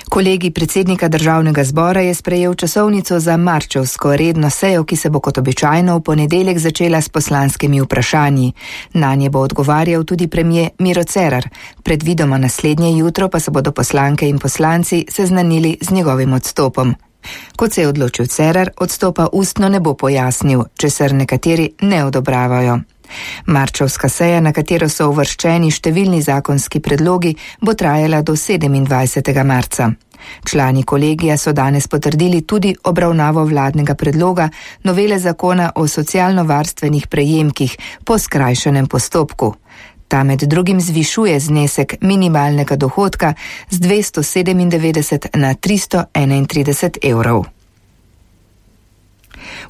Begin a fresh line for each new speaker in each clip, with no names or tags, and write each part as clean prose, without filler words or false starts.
Kolegij predsednika državnega zbora je sprejel časovnico za marčevsko redno sejo, ki se bo kot običajno v ponedeljek začela s poslanskimi vprašanji. Nanje bo odgovarjal tudi premier Miro Cerar. Predvidoma naslednje jutro pa se bodo poslanke in poslanci seznanili z njegovim odstopom. Kot se je odločil Cerar, odstopa ustno ne bo pojasnil, česar nekateri ne odobravajo. Marčevska seja, na katero so uvrščeni številni zakonski predlogi, bo trajala do 27. marca. Člani kolegija so danes potrdili tudi obravnavo vladnega predloga novele zakona o socialno-varstvenih prejemkih po skrajšanem postopku. Ta med drugim zvišuje znesek minimalnega dohodka z 297 na 331 evrov.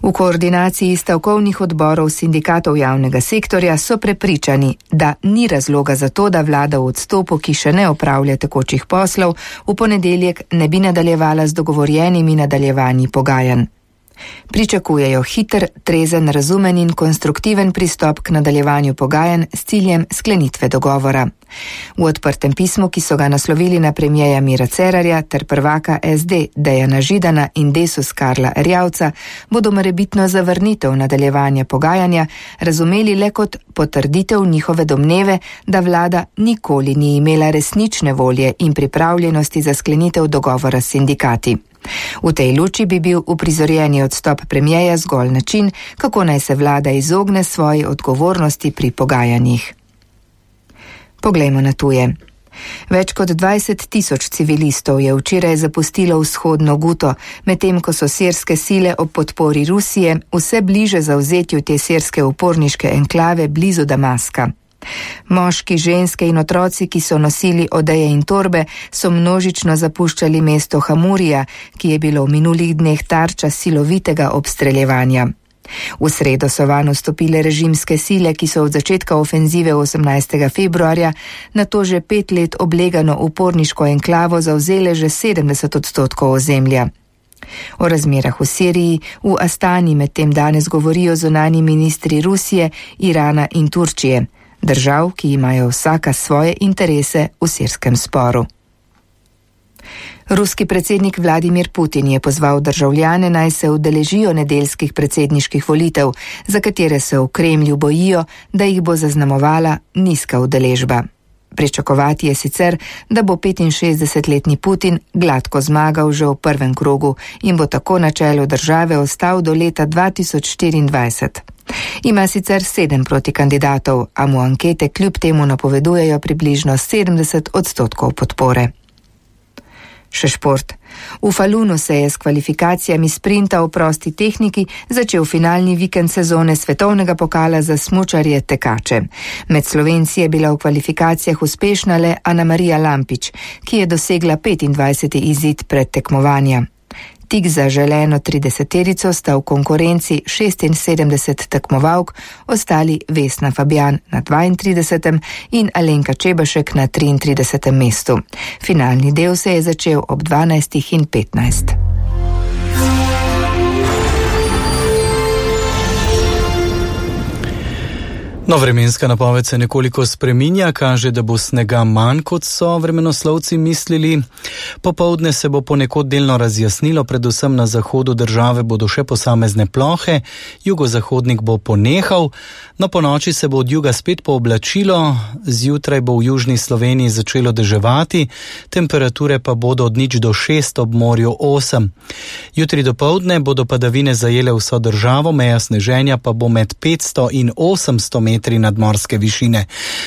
V koordinaciji stavkovnih odborov sindikatov javnega sektorja so prepričani, da ni razloga za to, da vlada v odstopu, ki še ne opravlja tekočih poslov, v ponedeljek ne bi nadaljevala z dogovorjenimi nadaljevanji pogajanj. Pričakujejo hiter, trezen, razumen in konstruktiven pristop k nadaljevanju pogajanj s ciljem sklenitve dogovora. V odprtem pismu, ki so ga naslovili na premierja Mira Cerarja ter prvaka SD Dejana Židana in Desus Karla Erjavca, bodo morebitno zavrnitev nadaljevanja pogajanja razumeli le kot potrditev njihove domneve, da vlada nikoli ni imela resnične volje in pripravljenosti za sklenitev dogovora s sindikati. V tej luči bi bil uprizorjeni odstop premierja zgolj način, kako naj se vlada izogne svoji odgovornosti pri pogajanjih. Poglejmo na tuje. Več kot 20 tisoč civilistov je včeraj zapustilo vzhodno Guto, medtem ko so sirske sile ob podpori Rusije vse bliže zavzetju te sirske uporniške enklave blizu Damaska. Moški, ženske in otroci, ki so nosili odeje in torbe, so množično zapuščali mesto Hamurija, ki je bilo v minulih dneh tarča silovitega obstreljevanja. V sredo so vanj vstopile režimske sile, ki so od začetka ofenzive 18. februarja nato že 5 let oblegano uporniško enklavo zavzele že 70% ozemlja. O razmerah v Siriji v Astani medtem danes govorijo zunanji ministri Rusije, Irana in Turčije, držav, ki imajo vsaka svoje interese v sirskem sporu. Ruski predsednik Vladimir Putin je pozval državljane, naj se udeležijo nedeljskih predsedniških volitev, za katere se v Kremlju bojijo, da jih bo zaznamovala nizka udeležba. Pričakovati je sicer, da bo 65-letni Putin gladko zmagal že v prvem krogu in bo tako na čelu države ostal do leta 2024. Ima sicer 7 protikandidatov, a mu ankete kljub temu napovedujejo približno 70% podpore. Še šport. V Falunu se je s kvalifikacijami sprinta v prosti tehniki začel finalni vikend sezone svetovnega pokala za smučarje tekače. Med Slovenci je bila v kvalifikacijah uspešna le Anamarija Lampič, ki je dosegla 25. izid predtekmovanja. Tik za želeno 30-terico sta v konkurenci 76 tekmovalk, ostali Vesna Fabjan na 32. in Alenka Čebašek na 33. mestu. Finalni del se je začel ob 12:15.
No, vremenska napoved se nekoliko spreminja, kaže, da bo snega manj, kot so vremenoslovci mislili. Popoldne se bo ponekod delno razjasnilo, predvsem na zahodu države bodo še posamezne plohe, jugozahodnik bo ponehal, no ponoči se bo od juga spet pooblačilo, zjutraj bo v južni Sloveniji začelo deževati, temperature pa bodo od 0 do 6, ob morju 8. Jutri dopoldne bodo padavine zajele vso državo, meja sneženja pa bo med 500 in 800 metri nadmorske višine.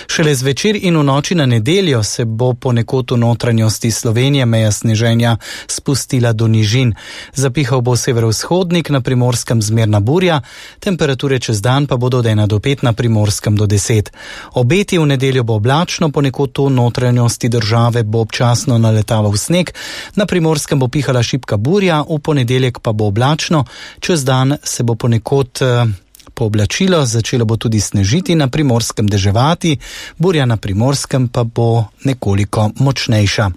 Šele zvečer in v noči na nedeljo se bo ponekod v notranjosti Slovenije meja sneženja spustila do nižin. Zapihal bo severovzhodnik, na Primorskem zmerna burja, temperature čez dan pa bodo od 1 do 5, na Primorskem do 10. Obeti v nedeljo bo oblačno, ponekod v notranjosti države bo občasno naletaval sneg, na Primorskem bo pihala šibka burja, v ponedeljek pa bo oblačno, čez dan se bo ponekod pooblačilo, začelo bo tudi snežiti, na Primorskem deževati, burja na Primorskem pa bo nekoliko močnejša.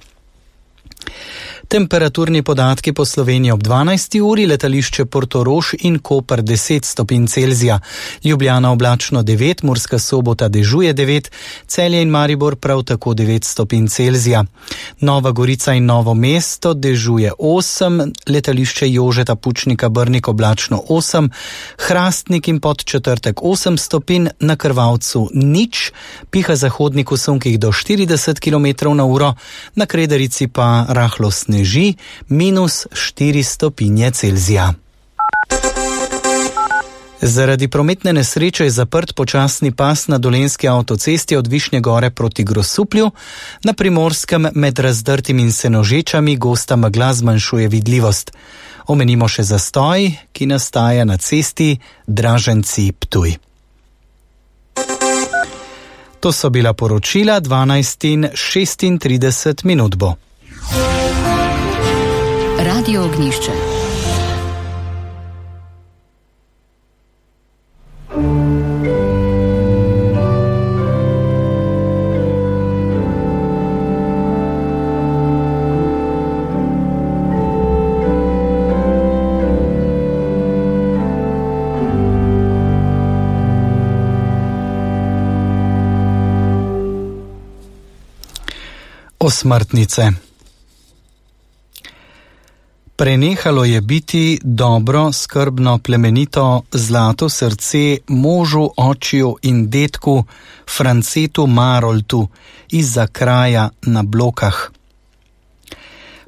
Temperaturni podatki po Sloveniji ob 12. uri, letališče Portorož in Koper 10 stopinj Celzija, Ljubljana oblačno 9, Murska Sobota dežuje 9, Celje in Maribor prav tako 9 stopinj Celzija. Nova Gorica in Novo mesto dežuje 8, letališče Jožeta Pučnika Brnik oblačno 8, Hrastnik in Podčetrtek 8 stopinj, na Krvavcu nič, piha zahodnik v sunkih do 40 km/h, na Kredarici pa rahlo sneži, minus 4 stopinje Celzija. Zaradi prometne nesreče je zaprt počasni pas na Dolenjski avtocesti od Višnje Gore proti Grosuplju, na Primorskem med Razdrtim in Senožečami gosta megla zmanjšuje vidljivost. Omenimo še zastoj, ki nastaja na cesti Draženci-Ptuj. To so bila poročila, 12:36 bo.
Radio Ognjišče.
Osmrtnice. Prenehalo je biti dobro, skrbno, plemenito, zlato srce možu, očiju in detku Francetu Maroltu izza kraja na Blokah.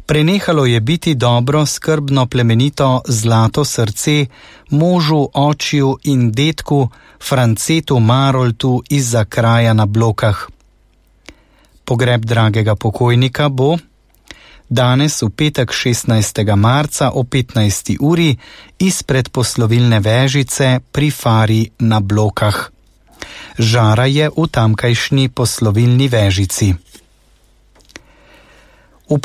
Prenehalo je biti dobro, skrbno, plemenito, zlato srce možu, očiju in detku Francetu Maroltu izza kraja na Blokah. Pogreb dragega pokojnika bo danes v petek 16. marca o 15. uri izpred poslovilne vežice pri Fari na Blokah. Žara je v tamkajšnji poslovilni vežici. V